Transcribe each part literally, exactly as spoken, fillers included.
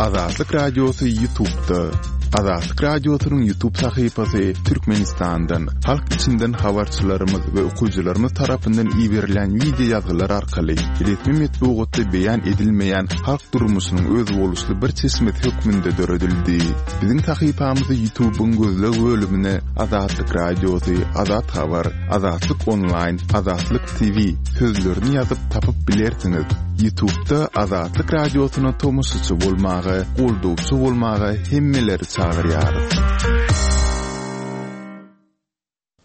Azatlyk Radiosy YouTube'da. Azatlyk Radiosynyň YouTube sahypasy Türkmenistandan, halk içinden habarçylarymyz we okyjylarymyz tarapyndan iberilen wideo ýazgylar arkaly resmi metbugatda beýan edilmeýän halk durmuşynyň özboluşly bir çeşmesi hökmünde döredildi. Biziň sahypamyzy YouTube'yň gözleg bölümine Azatlyk Radiosy, Azat Habar, Azatlyk Online, Azatlyk T V sözlerini ýazyp tapyp bilersiňiz. YouTube'da Azatlyk Radiosyna tomaşaçy bolmaga, goldawçy bolmaga hemmeleri çagyrýarys.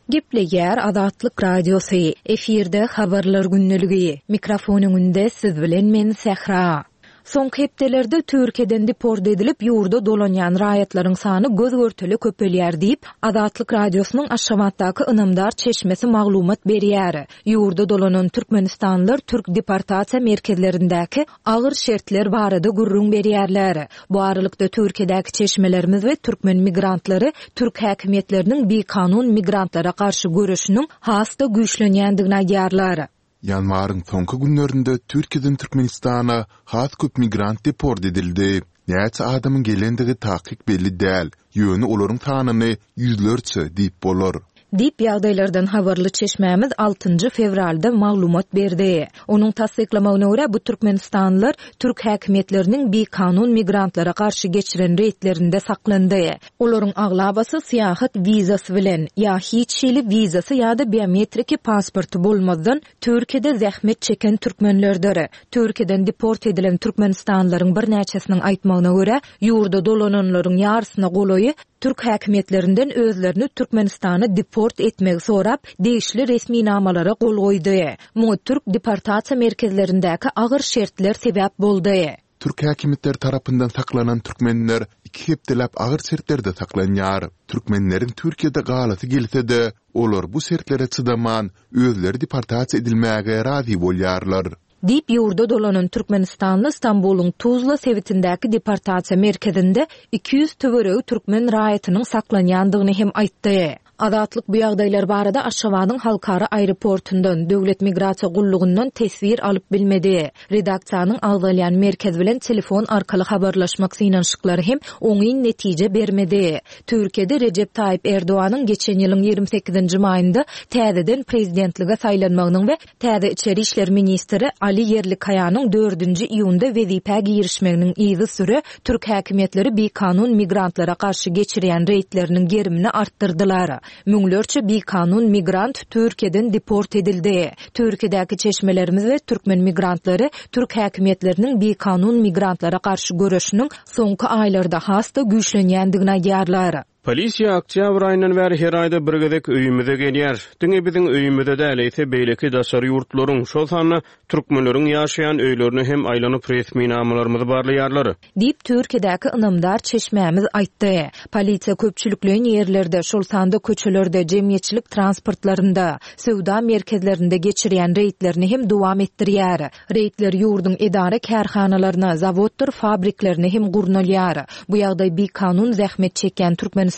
Gepleýär Azatlyk Radiosy. Efirde habarlar gündeligi. Mikrofon öňünde siz bilen men Sähra. Soňky hepdelerde Türkiýeden deport edilip ýurda dolanýan raýatlaryň sany göz görtele köpelýär diýip, Azatlyk Radiosynyň Aşgabatdaky ynamdar çeşmesi maglumat berýär. Ýurda dolanan Türkmenistanlylar türk deportasiýa merkezlerindäki agyr şertler barada gürrüň berýärler. Bu aralykda Türkiýedäki çeşmelerimiz we türkmen migrantlary türk häkimiýetleriniň bikanun migrantlara garşy göreşiniň has-da güýçlenýändigini aýdýarlar. Ýanwaryň soňky günlerinde Türkiýeden Türkmenistana has köp migrant deport edildi. Näçe adamyň gelendigi takyk belli däl, ýöne olaryň sanyny ýüzlerçe diýip bolar. Diýip ýagdaýlardan habarly çeşmämiz altynjy fewralda maglumat berdi. Onuň tassyklamagyna görä, bu türkmenistanlylar türk häkimiýetleriniň bikanun migrantlara garşy geçiren reýdlerinde saklandy. Olaryň aglabasy syýahat wizasy bilen ýa hiç hili wizasy ýa-da biometriki pasporty bolmazdan Türkiýede zähmet çeken türkmenlerdir. Türkiýeden deport edilen türkmenistanlylaryň birnäçesiniň aýtmagyna görä, ýurda dolananlaryň ýarysyna golaýy türk häkimiýetlerinden özlerini Türkmenistana deport etmegi sorap, degişli resminamalara gol goýdy. Muňa türk deportasiýa merkezlerindäki agyr şertler sebäp boldy. Türk häkimiýetleri tarapyndan saklanan türkmenler iki hepdeläp agyr şertlerde saklanýar. Türkmenleriň Türkiýede galasy gelse-de, olar bu şertlere çydaman, özleri deportasiýa edilmäge razy bolýarlar. Diýip ýurda dolanan Türkmenistanly Stambulyň Tuzla sebitindäki deportasiýa merkezinde iki ýüz töweregi türkmen raýatynyň saklanýandygyny hem aýtdy. Azatlyk bu ýagdaýlar barada Aşgabadyň halkara aeroportundan, Döwlet migrasiýa gullugyndan teswir alyp bilmedi. Redaksiýanyň agzalýan merkez bilen telefon arkaly habarlaşmak synanyşyklary hem oňyn netije bermedi. Türkiýede Rejep Taýyp Erdoganyň geçen ýylyň ýigrimi sekizinji maýynda täzeden prezidentlige saýlanmagynyň we täze içeri işler ministri Ali Ýerlikaýanyň dördünji iýunda wezipä girişmeginiň yzysüre türk häkimiýetleri bikanun migrantlara garşy geçirýän reýdleriniň gerimini artdyrdylar. Müňlerçe bikanun migrant Türkiýeden deport edildi. Türkiýedäki çeşmelerimiz we türkmen migrantlary türk häkimiýetleriniň bikanun migrantlara garşy göreşiniň soňky aýlarda has-da güýçlenýändigini aýdýarlar. Polisiýa oktýabr aýyndan bäri her aýda bir gezek öýümize gelýär. Diňe biziň öýümize däl, eýse beýleki daşary ýurtlaryň, şol sanda türkmenleriň ýaşaýan öýlerine hem aýlanyp resminamalarymyzy barlaýarlar. Diýip, Türkiýedäki ynamdar çeşmämiz aýtdy. Polisiýa köpçülikleýin ýerlerde, şol sanda köçelerde, jemgyýetçilik transportlarynda, söwda merkezlerinde geçirýän reýdlerini hem dowam etdirýär. Reýdler ýurduň edara-kärhanalaryna, zawoddyr fabriklerine hem gurnalýar. Bu ýagdaý bikanun zähmet çekýän türkmenistanlylaryň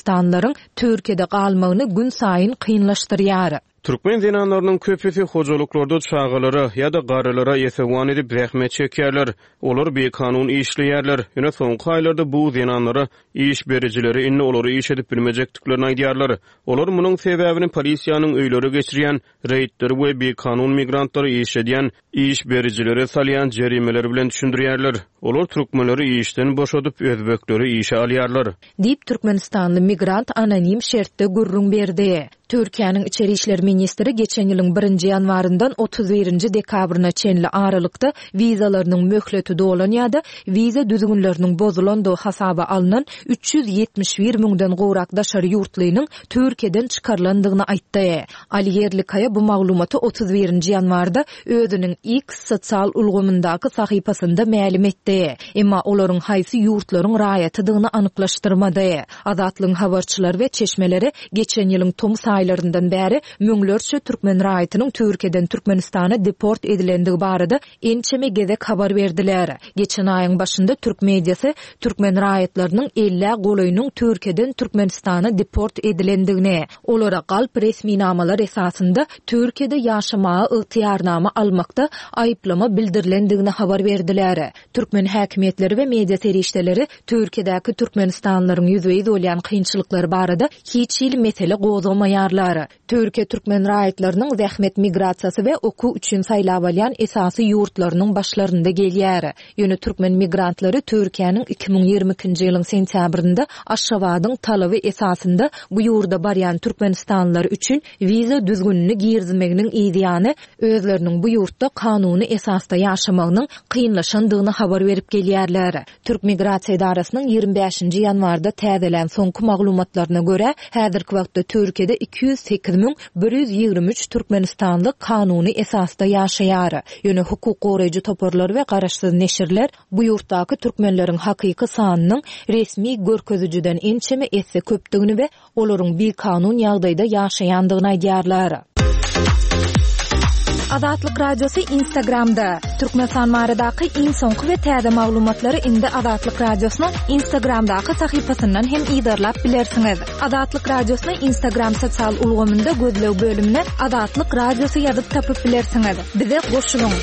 Türkiýede galmagyny günsaýyn kynlaşdyrýar. Türkmen zenanlarynyň köpüsi hojalyklarda çagalara ýa-da garrylara esewan edip zähmet çekýärler. Olar bikanun işleýärler. Ýöne soňky aýlarda bu zenanlara iş berijileri indi olary iş edip bilmejekdiklerini aýdýarlar. Olar munuň sebäbini polisiýanyň öýlere geçirýän reýdleri we bikanun migrantlary işledýän iş berijilere salýan jerimeleri bilen düşündirýärler. Olar türkmenleri işden boşadyp, özbekleri işe alýarlar. Diýip, türkmenistanly migrant anonim şertde gürrüň berdi. Türkiýäniň içeri işler ministri geçen ýylyň birinji ýanwaryndan otuz birinji dekabryna çenli aralykda wizalarynyň möhleti dolan ýa-da wiza düzgünleriniň bozulandygy hasaba alnan üç ýüz ýetmiş bir müňden gowrak daşary ýurtlynyň Türkiýeden çykarylandygyny aýtdy. Ali Ýerlikaýa bu maglumaty otuz birinji ýanwarda özüniň X sosial ulgamyndaky sahypasynda mälim etdi. Emma olaryň haýsy ýurtlaryň raýatydygyny anyklaşdyrmady. Azatlygyň habarçylary we çeşmeleri geçen ýylyň tomus aýlarynda aýlaryndan bäri müňlerçe türkmen raýatynyň Türkiýeden Türkmenistana deport edilendigi barada ençeme gezek habar berdiler. Geçen aýyň başynda türk mediasy türkmen raýatlarynyň ellä golaýynyň Türkiýeden Türkmenistana deport edilendigini, olara galp resminamalar esasynda Türkiýede ýaşamaga ygtyýarnama almakda aýyplama bildirilendigini habar berdiler. Türkmen häkimiýetleri we media serişdeleri Türkiýedäki türkmenistanlylaryň ýüzbe-ýüz bolýan kynçylyklary barada hiç hili mesele gozgamaýarlar. Türkiýe türkmen raýatlarynyň zähmet migrasiýasy we okuw üçin saýlap alýan esasy ýurtlarynyň başlarynda gelýär. Ýöne türkmen migrantlary Türkiýäniň iki müň ýigrimi ikinji ýylyň sentýabrynda Aşgabadyň talaby esasynda bu ýurda barýan türkmenistanlylar üçin wiza düzgünini girizmeginiň yzýany özleriniň bu ýurtda kanuny esasda ýaşamagynyň kynlaşandygyny habar berip gelýärler. Türk migrasiýa edarasynyň ýigrimi bäşinji ýanwarda täzelän soňky maglumatlaryna görä, häzirki wagtda Türkiýede iki ýüz sekiz müň bir ýüz ýigrimi üç türkmenistanly kanuny esasda ýaşaýar. Ýöne hukuk goraýjy toparlar we garaşsyz neşirler bu ýurtdaky türkmenleriň hakyky sanynyň resmi görkezijiden ençeme esse köpdügini we olaryň bikanun ýagdaýda ýaşaýandygyny aýdýarlar. Azatlyk Radiosy Instagramda. Türkmenistan baradaky iň soňky we täze maglumatlary indi Azatlyk Radiosynyň Instagramdaky sahypasyndan hem yzarlap bilersiňiz. Azatlyk Radiosyny Instagram sosial ulgamynda gözleg bölümine Azatlyk Radiosy ýazyp tapyp bilersiňiz. Bize goşulyň.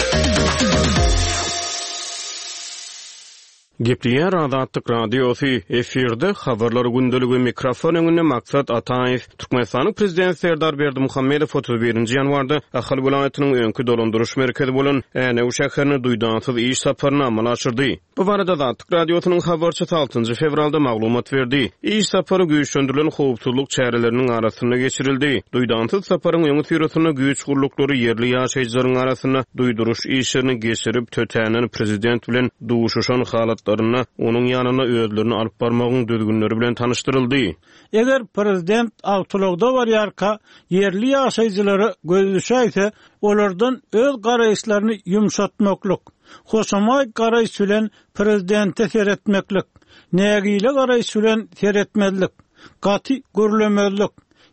Gepleýär Azatlyk Radiosy, efirde habarlar gündeligi, mikrofon öňünde Maksat Ataýew. Türkmenistanyň Prezidenti Serdar Berdimuhamedow otuz birinji ýanwarda Ahal welaýatynyň öňki dolandyryş merkezi bolan Änew şäherine duýdansyz iş saparyny amala aşyrdy. Bu barada Azatlyk Radiosynyň habarçysy altynjy fewralda maglumat berdi. Iş sapary güýçlendirilen howpsuzlyk çäreleriniň arasynda geçirildi. Duýdansyz saparyň öňüsyrasynda güýç gurluklary ýerli ýaşaýjylaryň arasynda duýduryş işlerini geçirip, tötänden prezident bilen duşuşan halatlarynda onuň ýanyna özlerini alyp barmagyň düzgünleri bilen tanyşdyryldy. Eger prezident awtoulagda barýarka ýerli ýaşaýjylara göz düşäýse, olardan öz garaýyşlaryny ýumşatmaklyk, hoşamaý garaýyş bilen prezidente seretmeklik, nägile garaýyş bilen seretmezlik, gaty gürlemezlik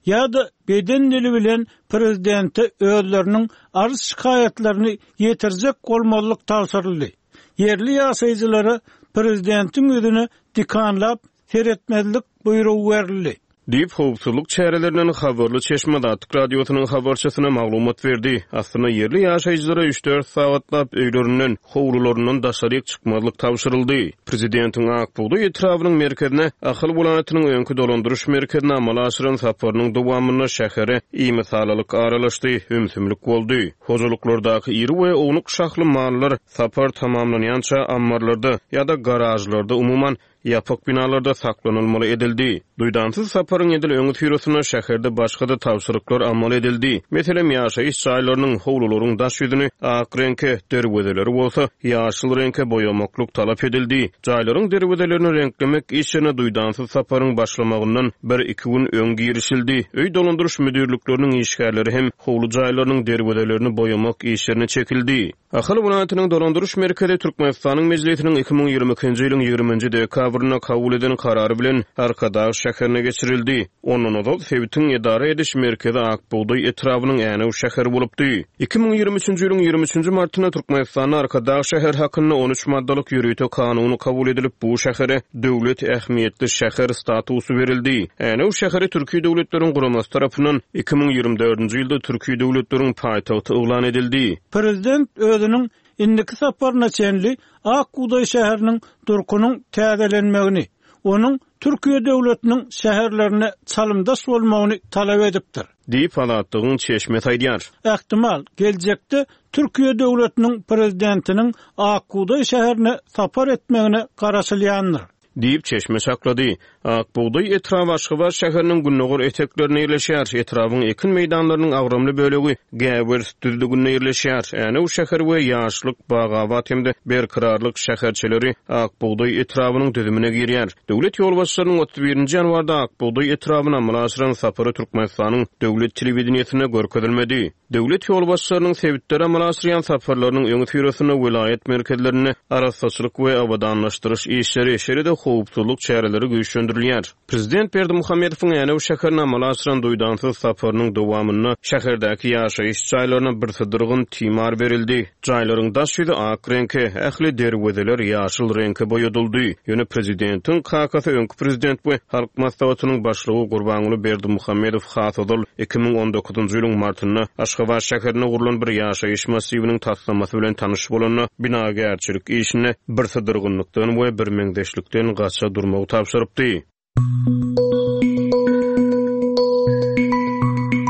ýa-da beden dili bilen prezidente özleriniň arz şikaýatlaryny ýetirjek bolmazlyk tabşyryldy. Ýerli ýaşaýjylara prezidentiň ýüzüne dikanlap seretmezlik buýrugy berildi. Diýip, howpsuzlyk çärelerinden habarly çeşme Azatlyk Radiosynyň habarçysyna maglumat berdi. Aslynda ýerli ýaşaýjylara üç-dört sagatlap öýlerinden, howlularyndan daşaryk çykmazlyk tabşyryldy. Prezidentiň Ak bugdaý etrabynyň merkezine Ahal welaýatynyň öňki dolandyryş merkezine amala aşyran saparynyň dowamynda şähere imisalalyk aralaşdy, ümsümlik boldy. Hojalyklardaky iri we ownuk şahly mallar sapar tamamlanýança ammarlarda ýa-da garažlarda, umuman ýapyk binalarda saklanylmaly edildi. Duýdansyz saparyň edil öňüsyrasynda şäherde başga-da tabşyryklar amal edildi. Meselem, ýaşaýyş jaýlarynyň, howlularyň daş ýüzüni ak reňke, derwezeleri bolsa ýaşyl reňke boýamaklyk talap edildi. Jaýlaryň derwezelerini reňklemek işine duýdansyz saparyň başlamagyndan bir-iki gün öň girişildi. Öý dolandyryş müdirlikleriniň işgärleri hem howly jaýlarynyň derwezelerini boýamak işlerine çekildi. Ahal welaýatynyň dolandyryş merkezi Türkmenistanyň Mejlisiniň iki müň ýigrimi ikinji ýylyň ýigriminji dekabrynda kabul eden karary bilen Arkadag şäherine geçirildi. Ondan ozal sebitiň edara ediş merkezi Ak bugdaý etrabynyň Änew şäheri bolupdy. Iki müň ýigrimi üçünji ýylyň ýigrimi üçünji martynda Türkmenistanda Arkadag şäheri hakynda on üç maddalyk ýörite kanuny kabul edilip, bu şähere döwlet ähmiýetli şäher statusy berildi. Änew şäheri Türki döwletleriň guramasy tarapyndan iki müň ýigrimi dördünji ýylda Türki döwletleriň paýtagty yglan edildi. Prezident özüniň indiki saparyna çenli Ak bugdaý şäheriniň durkunyň täzelenmegini, onuň Türkiýe döwletiniň şäherlerine çalymdaş bolmagyny talap edipdir. Diýip, Azatlygyň çeşmesi aýdýar. Ähtimal, geljekde Türkiýe döwletiniň prezidentiniň Ak bugdaý şäherine sapar etmegine garaşylýandyr. Diýip, çeşme çaklady. Ak bugdaý etraby Aşgabat şäheriniň gündogar eteklerinde ýerleşýär. Etrabyň ekin meýdanlarynyň agramly bölegi Gäwers düzlüginde ýerleşýär. Änew şäheri we Ýaşlyk, Bagabat hem-de Berkararlyk şäherçeleri Ak bugdaý etrabynyň düzümine girýär. Döwlet ýolbaşçylarynyň otuz birinji ýanwarda Ak bugdaý etrabyna amala aşyran sapary Türkmenistanyň döwlet telewideniýesinde görkezilmedi. Döwlet ýolbaşçylarynyň sebitlere amala aşyrýan saparlarynyň öňüsyrasynda welaýat merkezlerinde arassaçylyk we abadanlaşdyryş işleri, şeýle-de howpsuzlyk çäreleri güýçlendirilýär. Prezident Berdimuhamedowyň Änew şäherine amala aşyran duýdansyz saparynyň dowamynda şäherdäki ýaşaýyş jaýlaryna birsydyrgyn timar berildi. Jaýlaryň daş ýüzi ak reňke, ähli derwezeler ýaşyl reňke boýadyldy. Ýöne prezidentiň kakasy öňki prezident we Halk Maslahatynyň başlygy Gurbanguly Berdimuhamedow has ozal iki müň on dokuzynjy ýylyň martynda Aşgabat şäherinde gurlan bir ýaşaýyş massiwiniň taslamasy bilen tanyş bolanda binagärçilik işinde birsydyrgynlykdan we birmeňzeşlikden gaça durmagy tabşyrypdy.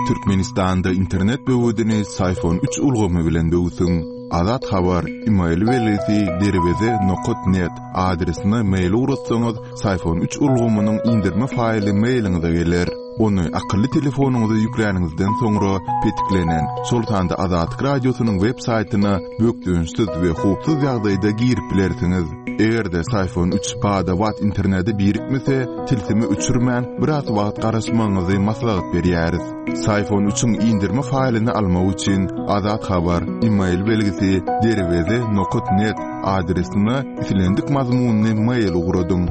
Türkmenistanda internet böwedini Syfon üç ulgamy bilen böwsüň. Azat Habar, e-mail belgisi derweze nokat net adresine mail ugratsaňyz, Syfon üç ulgamynyň indirme faýly mailiňize geler. Ony akylly telefonyňyza ýükläniňizden soňra petiklenen, şol sanda Azatlyk radiosynyň web saýtyna bökdençsiz we howpsuz ýagdaýda girip bilersiňiz. Eger-de Syfon üç bada-bat internete birikmese, tilsimi öçürmän biraz wagt garaşmagyňyzy maslahat berýäris. Syfon üçiň indirme faýlyny almak üçin Azat Habar, e-mail belgisi derweze nokat net adresine islendik mazmunyny mail ugradyň.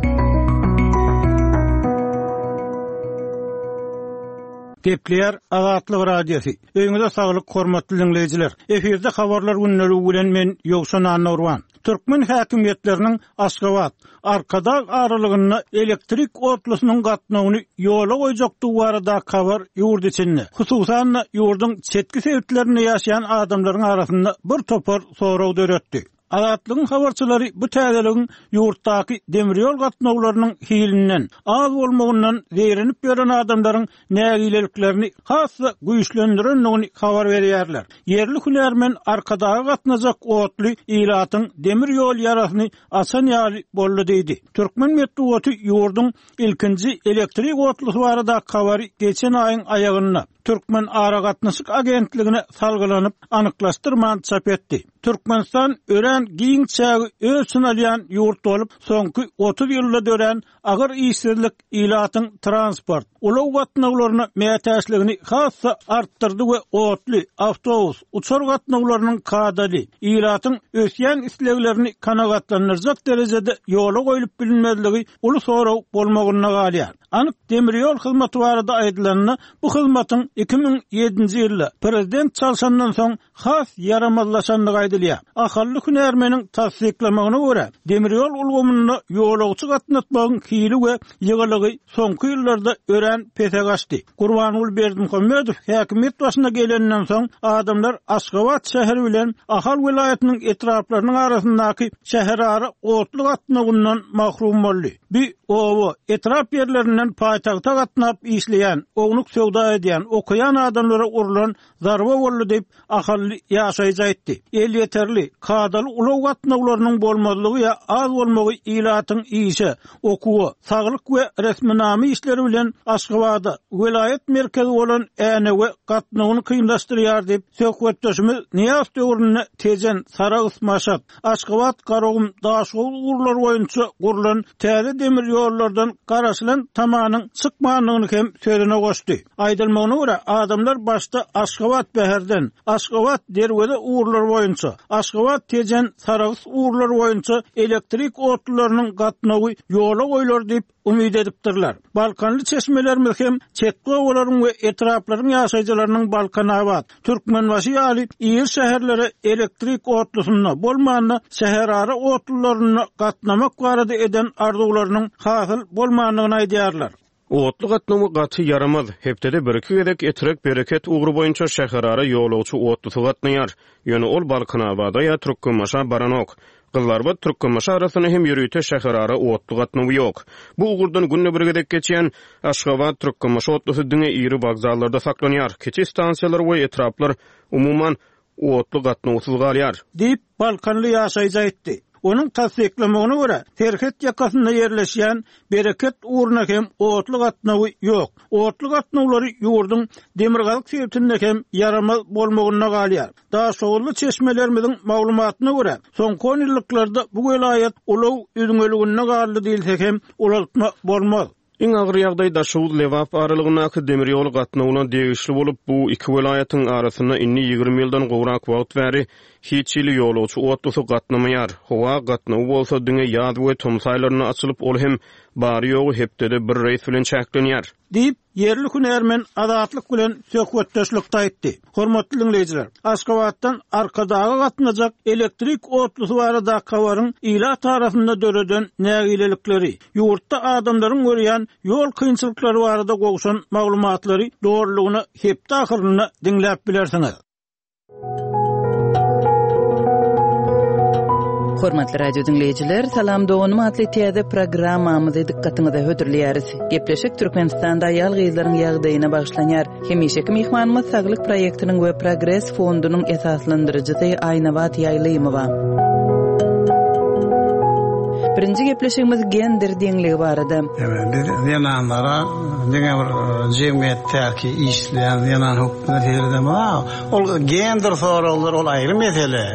Gepleýär Azatlyk Radiosy. Öýüňize saglyk hormatly dinleýjiler. Efirde habarlar günleri bilen men Ýowşan Annurwan. Türkmen häkimiýetleriniň Aşgabat, Arkadag aralygynda elektrik otlusynyň gatnawyny ýola goýjakdygy barada habar ýurt içinde. Hususan ýurduň çetki sebitlerinde ýaşaýan adamlaryň arasynda bir topar sorag döretdi. Azatlygyň habarçylary bu täzeligiň ýurtdaky demir ýol gatnawlarynyň hilinden, az bolmagyndan zeýrenip ýören adamlaryň nägileliklerini has-da güýçlendirendigini habar berýärler. Ýerli hünärmen Arkadaga gatnajak otly ilatyň demir ýol ýarasyny açan ýaly boldy diýdi. Türkmen metbugaty ýurduň ilkinji elektrik otlusy barada habary geçen aýyň aýagynda Türkmen Aragatnaşyk Agentligine salgylanyp anyklaşdyrman çap etdi. Türkmenistan örän giň çägi öz içine alýan ýurt bolup, soňky otuz ýylda dörän agyr işsizlik ilatyň transport, ulag gatnawlaryna mätäçligini has-da artdyrdy we otly, awtobus, uçar gatnawlarynyň kadaly, ilatyň ösýän isleglerini kanagatlandyrjak derejede ýola goýlup bilinmezligi uly sorag bolmagynda galýar. Anyk demir ýol hyzmaty barada aýdylanda, bu hyzmatyň iki müň ýedinji ýylda prezident çalşandan soň has ýaramazlaşandygy aýdylýar. Ahally hünärmeniň tassyklamagyna görä, demir ýol ulgamynda ýolagçy gatnatmagyň hili we ýygylygy soňky ýyllarda örän pese gaçdy. Gurbanguly Berdimuhamedow häkimiýet başyna gelenden soň adamlar Aşgabat şäheri bilen Ahal welaýatynyň etraplarynyň arasyndaky şäherara otly gatnawyndan mahrum boldy. Bir oba etrap ýerlerinden paýtagta gatnap işleýän, ownuk söwda edýän, okaýan adamlara urlan zarba boldy diýip ahally ýaşaýjy aýtdy. Elýeterli, kadaly ulag gatnawlarynyň bolmazlygy ýa az bolmagy ilatyň işe, okuwa, saglyk we resminama işleri bilen Aşgabada, welaýat merkezi bolan Änewe gatnawyny kynlaşdyrýar diýip söhbetdeşimiz Nyýaz döwründe Tejen, Sarahs, Maşat, Aşgabat, Garagum, Daşoguz ugurlary boýunça gurlan täze demir ýollardan garaşylan tamanyň çykmandygyny hem sözüne goşdy. Aýdylmagyna görä, adamlar başda Aşgabat Bäherden, Aşgabat Derweze ugurlary boýunça, Aşgabat Tejen, Sarahs ugurlary boýunça elektrik otlularynyň gatnawy ýola goýlar diýip umyt edipdirler. Balkanly çeşmelerimiz hem çetki obalaryň we etraplaryň ýaşaýjylarynyň Balkanabat, Türkmenbaşy ýaly iri şäherlere elektrik otlusynda bolmanda şäherara otlularyna gatnamak barada eden arzuwlarynyň hasyl bolmandygyny aýdýarlar. Otly gatnawy gaty ýaramaz. Hepdede bir iki gezek Etrek Bereket ugry boýunça şäherara ýolagçy otlusy gatnaýar. Ýöne ol Balkanabada ýa Türkmenbaşa baranok. Gyzlarbat Türkmenbaşy arasynda hem ýörite şäherara otly gatnawy ýok. Bu ugurdan günde bir gezek geçýän Aşgabat Türkmenbaşy otlusy diňe iri wokzallarda saklanýar. Kiçi stansiýalar we etraplar umuman otly gatnawsyz galýar. Diýip Balkanly ýaşaýjy aýtdy. Onuň tassyklamagyna görä, serhet ýakasynda ýerleşýän Bereket ugruna hem otly gatnawy ýok. Otly gatnawlary ýurduň demirgazyk sebitinde hem ýaramaz bolmagynda galýar. Daşoguzly çeşmelerimiziň maglumatyna görä, soňky on ýyllyklarda bu welaýat ulag üzňeliginde galdy diýilse hem ulaltma bolmaz. Iň agyr ýagdaý Daşoguz-Lebap aralygyndaky demir ýol gatnawyna degişli bolup, bu iki welaýatyň arasynda indi ýigrimi ýyldan gowrak wagt bäri hiç hili ýolagçy otlusy gatnamaýar. Howa gatnawy bolsa diňe ýaz we tomus aýlarynda açylyp, ol hem bary-ýogy hepdede bir reýs bilen çäklenýär. Diýip, ýerli hünärmen Azatlyk bilen söhbetdeşlikde aýtdy. Hormatly dinleýjiler, Aşgabatdan Arkadaga gatnajak elektrik otlusy barada habaryň ilat arasynda döreden nägilelikleri, ýurtda adamlaryň görýän ýol kynçylyklary barada gowşan maglumatlary dogrulygyna hepde ahyrynda diňläp bilersiňiz. Hormatly radio dinleýjiler, Salam doganym atly täze programmamyzy dykgatyňyza hödürleýäris. Gepleşik Türkmenistanda aýal gyzlaryň ýagdaýyna bagyşlanýar. Hemişeki myhmanymyz Saglyk proýektiniň we Progres fondunyň esaslandyryjysy Aýnabat Ýaýlymowa. Birinji gepleşigimiz gender deňligi barada. Evet, biz zenanlara diňe bir jemgyýetdäki işleýän zenan hukukuna seredemez. Ol gender soraglar ol aýry mesele.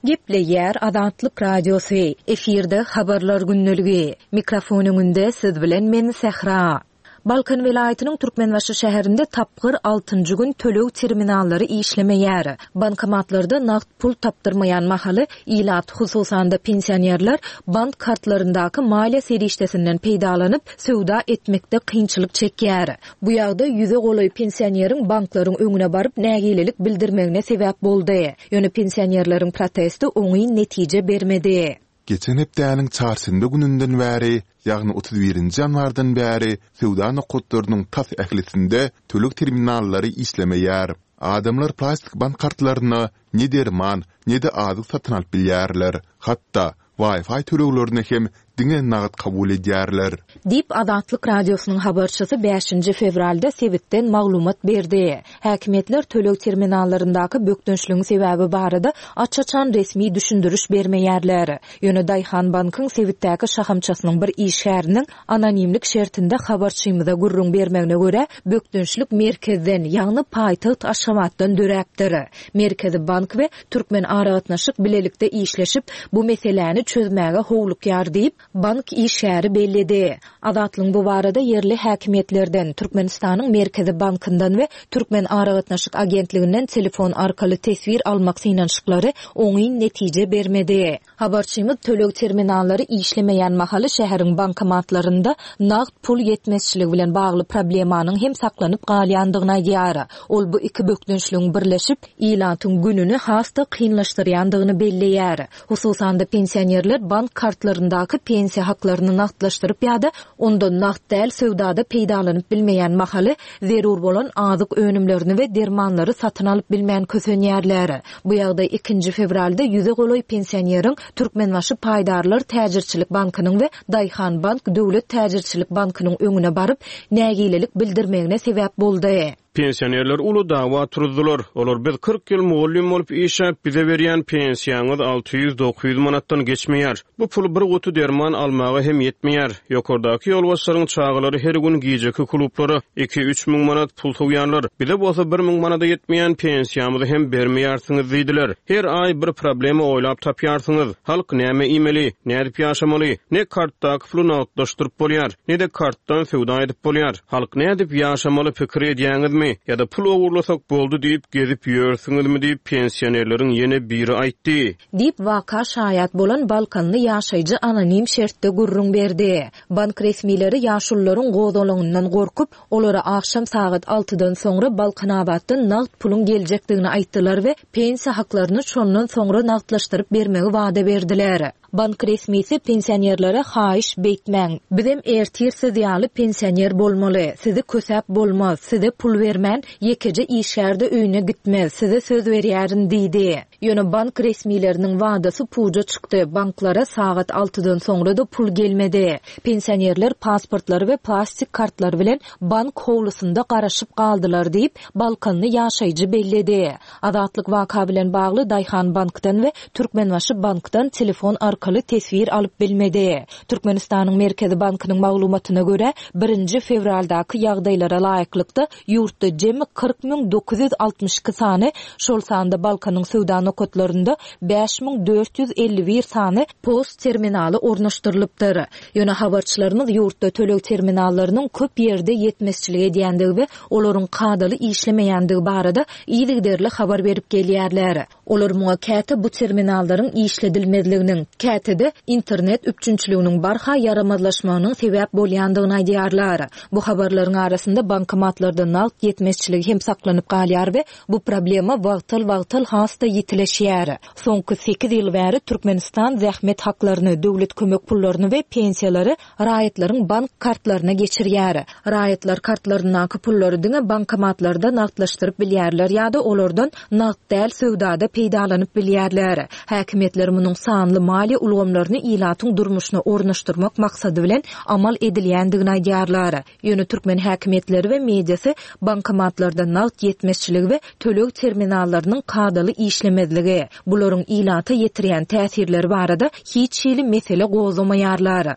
Gepleýär Azatlyk Radiosy. Efirde habarlar gündeligi. Mikrofon öňünde siz bilen men Sehra. Balkan welaýatynyň Türkmenbaşy şäherinde tapgyr altynjy gün töleg terminallary işlemeýär. Bankomatlarda nagt pul tapdyrmaýan mahaly ilat, hususan-da pensionerler bank kartlaryndaky maliýe serişdesinden peýdalanyp söwda etmekde kynçylyk çekýär. Bu ýagdaý ýüze golaý pensioneriň banklaryň öňüne baryp nägilelik bildirmegine sebäp boldy. Ýöne pensionerleriň protesti oňyn netije bermedi. Geçen hepdäniň çarşenbe gününden bäri, ýagny otuz birinji ýanwardan bäri söwda nokatlarynyň tas ählisinde töleg terminallary işlemeýär. Adamlar plastik bank kartlaryna ne derman, ne-de azyk satyn alyp bilýärler. Hatda Wi-Fi töleglerini hem diňe nagt kabul edýärler. Diýip Azatlyk Radiosynyň habarçysy bäşinji fewralda sebitden maglumat berdi. Häkimiýetler töleg terminallaryndaky bökdençligiň sebäbi barada aç-açan resmi düşündiriş bermeýärler. Ýöne Daýhan bankyň sebitdäki şahamçasynyň bir işgäriniň anonimlik şertinde habarçymyza gürrüň bermegine görä, bökdençlik merkezden, ýagny paýtagt Aşgabatdan döräpdir. Merkezi bank we Türkmen aragatnaşyk bilelikde işleşip, bu meseläni çözmäge howlukýar diýip, bank işgäri belledi. Azatlygyň bu barada ýerli häkimiýetlerden, Türkmenistanyň Merkezi bankyndan we Türkmen aragatnaşyk agentliginden telefon arkaly teswir almak synanyşyklary oňyn netije bermedi. Habarçymyz töleg terminallary işlemeýän mahaly şäheriň bankomatlarynda nagt pul ýetmezçiligi bilen bagly problemanyň hem saklanyp galýandygyny aýdýar. Ol bu iki bökdençligiň birleşip, ilatyň gününi has-da kynlaşdyrýandygyny belleýär. Hususan-da pensionerler bank kartlaryndaky pensiýa haklaryny nagtlaşdyryp ýa-da ondan nagt däl söwdada peýdalanyp bilmeýän mahaly zerur bolan azyk önümlerini we dermanlary satyn alyp bilmän kösenýärler. Bu ýagdaý ikinji fewralda ýüze golaý pensioneriň Türkmenbaşy Paýdarlar Täjirçilik Bankynyň we Daýhan Bank Döwlet Täjirçilik Bankynyň öňüne baryp nägilelik bildirmegine sebäp boldy. Pensionerler uly dawa turdular. Olar biz kyrk ýyl mugallym bolup işläp bize berýän pensiýaňyz alty ýüz dokuz ýüz manatdan geçmeýär. Bu pul bir guty derman almaga hem ýetmeýär. Ýokardaky ýolbaşçylaryň çagalary her gün gijeki klublara iki üç müň manat pul sowýarlar. Bize bolsa bir müň manada ýetmeýän pensiýamyzy hem bermeýärsiňiz diýdiler. Her aý bir problema oýlap tapýarsyňyz. Halk näme iýmeli, nädip ýaşamaly, ne kartdaky puly nagtlaşdyryp bolýar, ne-de kartdan söwda edip bolýar. Halk nädip ýaşamaly pikir edýäňizmi? Ýa-da pul ogurlasak boldy diýip gezip ýörsüňizmi diýip pensionerleriň ýene biri aýtdy. Diýip waka şaýat bolan Balkanly ýaşaýjy anonim şertde gürrüň berdi. Bank resmileri ýaşulularyň gozgalaňyndan gorkup, olara akşam sagat altydan soňra Balkanabatdan nagt puluň geljekdigini aýtdylar we pensiýa haklaryny şondan soňra nagtlaşdyryp bermegi wada berdiler. Bank resmisi pensionerlere haýyş beýtmäň. Bizem ertir siz ýaly pensioner bolmaly. Sizi kösäp bolmaz, size pul bermän, ýekeje işgärde öýüne gitmez, size söz berýärin diýdi. Ýöne bank resmileriniň wadasy puja çykdy. Banklara sagat altydan soňra da pul gelmedi. Pensionerler pasportlary we plastik kartlary bilen bank howlusynda garaşyp galdylar diýip, Balkanly ýaşaýjy belledi. Azatlyk waka bilen bagly Daýhan bankdan we Türkmenbaşy bankdan telefon arkaly arkaly teswir alyp bilmedi. Türkmenistanyň Merkezi bankynyň maglumatyna görä, birinji fewraldaky ýagdaýlara laýyklykda ýurtda jemi kyrk müň dokuz ýüz altmyş iki sany, şol sanda Balkanyň söwda nokatlarynda bäş müň dört ýüz elli bir sany post terminaly ornaşdyrylypdyr. Ýöne habarçylarymyz ýurtda töleg terminallarynyň köp ýerde ýetmezçilik edýändigi we olaryň kadaly işlemeýändigi barada yzygiderli habar berip gelýärler. Olar muňa käte bu terminallaryň işledilmezliginiň, käte-de internet üpjünçiliginiň barha ýaramazlaşmagynyň sebäp bolýandygyny aýdýarlar. Bu habarlaryň arasynda bankomatlarda nagt ýetmezçiligi hem saklanyp galýar we bu problema wagtal-wagtal has-da ýitileşýär. Soňky sekiz ýyl bäri Türkmenistan zähmet haklaryny, döwlet kömek pullaryny we pensiýalary raýatlaryň bank kartlaryna geçirýär. Raýatlar kartlaryndaky pullary diňe bankomatlarda nagtlaşdyryp bilýärler ýa-da olardan nagt däl söwdada peýdalanyp bilýärler. Häkimiýetler munuň sanly maliýe ulgamlaryny ilatyň durmuşyna ornaşdyrmak maksady bilen amal edilýändigini aýdýarlar. Ýöne türkmen häkimiýetleri we mediasy bankomatlarda nagt ýetmezçiligi we töleg terminallarynyň kadaly işlemezligi, bularyň ilata ýetirýän täsirleri barada hiç hili mesele gozgamaýarlar.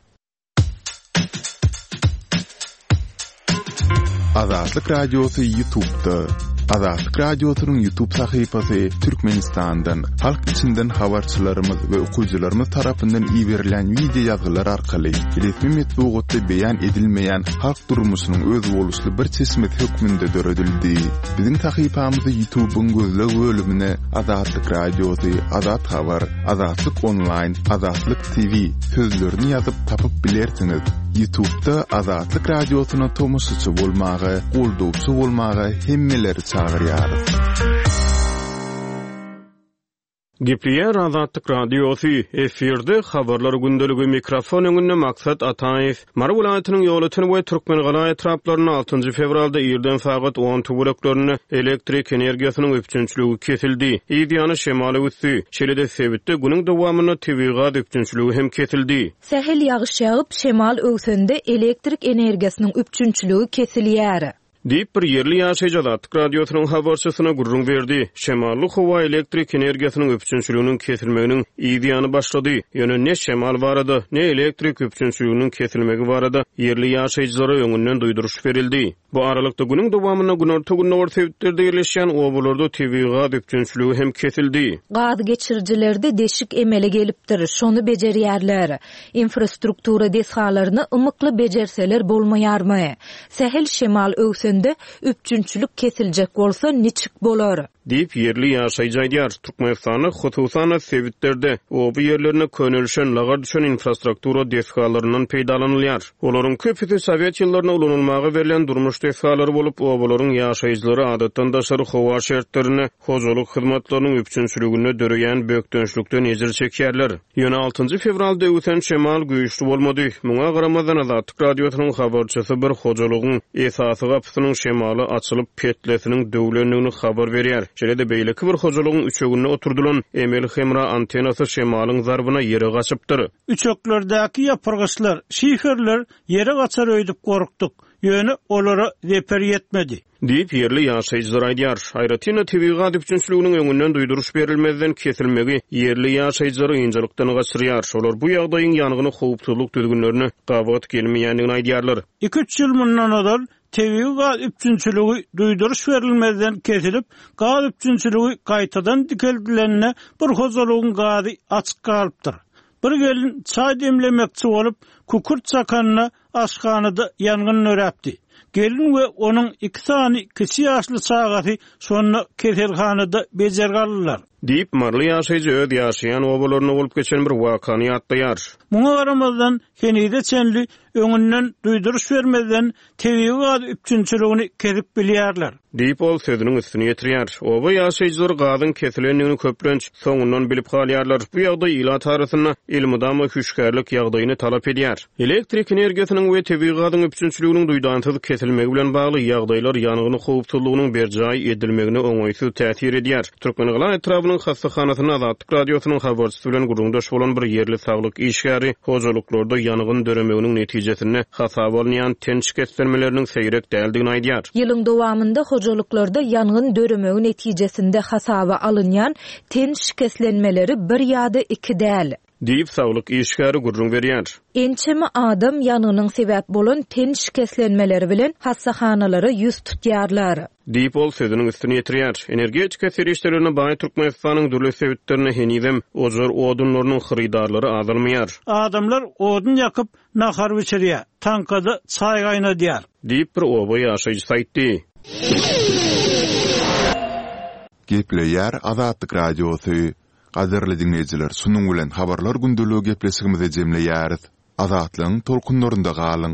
Azatlyk Radiosy YouTube'da. Azatlyk Radiosynyň YouTube sahypasy Türkmenistandan, halk içinden habarçylarymyz we okyjylarymyz tarapyndan iberilen video ýazgylar arkaly resmi metbugatda beýan edilmeýän halk durmuşynyň özboluşly bir çeşmesi hökmünde döredildi. Biziň sahypamyzy YouTube'yň gözleg bölümine Azatlyk Radiosy, Azat Habar, Azatlyk Online, Azatlyk T V sözlerini ýazyp tapyp bilersiňiz. YouTube'da Azatlyk Radiosyna tomaşaçy bolmaga, goldawçy bolmaga hemmeleri çagyrýarys. Gepleýär Azatlyk Radiosy, efirde habarlar gündeligi, mikrofon öňünde Maksat Ataýew. Mary welaýatynyň Ýolöten we Türkmengala etraplarynda altynjy fewralda irden sagat on töwereklerinde elektrik energiýasynyň üpjünçiligi kesildi. Yz ýany şemal öwüsdi. Şeýle-de sebitde günüň dowamynda tebigy gaz üpjünçiligi hem kesildi. Sähel ýagyş ýagyp, şemal öwsende elektrik energiýasynyň üpjünçiligi kesilýär. Diýip bir ýerli ýaşaýjy Azatlyk Radiosynyň habarçysyna gürrüň berdi. Şemally howa elektrik energiýasynyň üpjünçiliginiň kesilmeginiň yz ýany başlady. Ýöne ne şemal barada, ne elektrik üpjünçiliginiň kesilmegi barada ýerli ýaşaýjylara öňünden duýduryş berildi. Bu aralykda günüň dowamynda günorta-gündogar sebitlerde ýerleşýän obalarda tebigy gaz üpjünçiligi hem kesildi. Gaz geçirijilerde deşik emele gelipdir, şony bejerýärler. Infrastruktura desgalaryny ymykly bejerseler bolmaýarmy? Sähel şemal öwsende üpjünçilik kesiljek bolsa niçik bolar? Diýip ýerli ýaşaýjy aýdýar. Türkmenistanda hususan sebitlerde oba ýerlerine könelişen lagar düşen infrastruktura desgalaryndan peýdalanylýar. Olaryň köpüsi Sowet ýyllarynda ulanylmaga berlen durmuş desgalary bolup, obalaryň ýaşaýjylary adatdan daşary howa şertlerinde hojalyk hyzmatlarynyň üpjünçiliginde döreýän bökdençlikden ejir çekýärler. Ýöne altynjy fewralda öwsen şemal güýçli bolmady. Muňa garamazdan Azatlyk Radiosynyň habarçysy bir hojalygyň esasy gapysynyň şemala açylyp petlesiniň döwlendigini habar berýär. Şeýle-de beýleki bir hojalygyň üçeginde oturdylan emel hemra antenasy şemalyň zarbyna ýere gaçypdyr. Üçeklerdäki ýapyrgyçlar, şiferler ýere gaçar öýdüp gorkduk. Ýöne olara zeper ýetmedi. Diýip ýerli ýaşaýjylar aýdýar. Aýratyn-da tebigy gaz üpjünçiliginiň öňünden duýduryş berilmezden kesilmegi ýerli ýaşaýjylary ynjalykdan gaçyrýar. Olar bu ýagdaýyň ýangyny howpsuzlyk düzgünlerine gabat gelmeýändigini aýdýarlar. Iki-üç ýyl mundan ozal tebigy gaz üpjünçiligi duýduryş berilmezden kesilip, gaz üpjünçiligi gaýtadan dikeldilenine bir hojalygyň gazy açyk galypdyr. Bir gelin çay demlemekçi bolup, kükürt çakanyna aşhanada ýangyn döräpdi. Gelin we onuň iki sany kiçi ýaşly çagasy şonda keselhanada bejergi aldylar. Diýip Marly ýaşaýjy öz ýaşaýan obalarynda bolup geçen bir wakany ýatlaýar. Muňa garamazdan henize çenli öňünden duýduryş bermezden tebigy gaz üpjünçiligini kesip bilýärler. Diýip ol sözüniň üstüni ýetirýär. Oba ýaşaýjylary gazyň kesilendigini köplenç soňundan bilip galýarlar. Bu ýagdaý ilat arasynda elmydama hüşgärlik ýagdaýyny talap edýär. Elektrik energiýasynyň we tebigy gazyň üpjünçiliginiň duýdansyz kesilmegi bilen bagly ýagdaýlar ýangyny howpsuzlygynyň berjaý edilmegine oňaýsyz täsir edýär. Türkmengala etrabynyň hassahanasynda Azatlyk Radiosynyň habarçysy bilen gürrüňdeş bolan bir ýerli saglyk işgäri hojalyklarda ýangyn döremeginiň netijesinde hasaba alynýan ten şikeslenmeleriniň seýrek däldigini aýdýar. Ýylyň dowamynda hojalyklarda ýangyn döremegi netijesinde hasaba alynýan ten şikeslenmeleri bir ýa-da iki däl. Diýip, saglyk işgäri gürrüň berýär. Ençeme adam ýangynyň sebäp bolan ten şikeslenmeleri bilen hassahanalara ýüz tutýarlar. Diýip, ol sözüniň üstüni ýetirýär. Energetika serişdelerine baý Türkmenistanyň dürli sebitlerinde henizem ojar odunlarynyň hyrydarlary azalmaýar. Adamlar odun ýakyp, nahar bişirýär, taňkada çaý gaýnadýar. Diýip, bir oba ýaşaýjysy aýtdy. Gepleýär Azatlyk Radiosy. Gadyrly diňleýjiler, şunuň bilen Habarlar gündeligi gepleşigimizi jemleýäris. Azatlygyň tolkunlarynda galyň!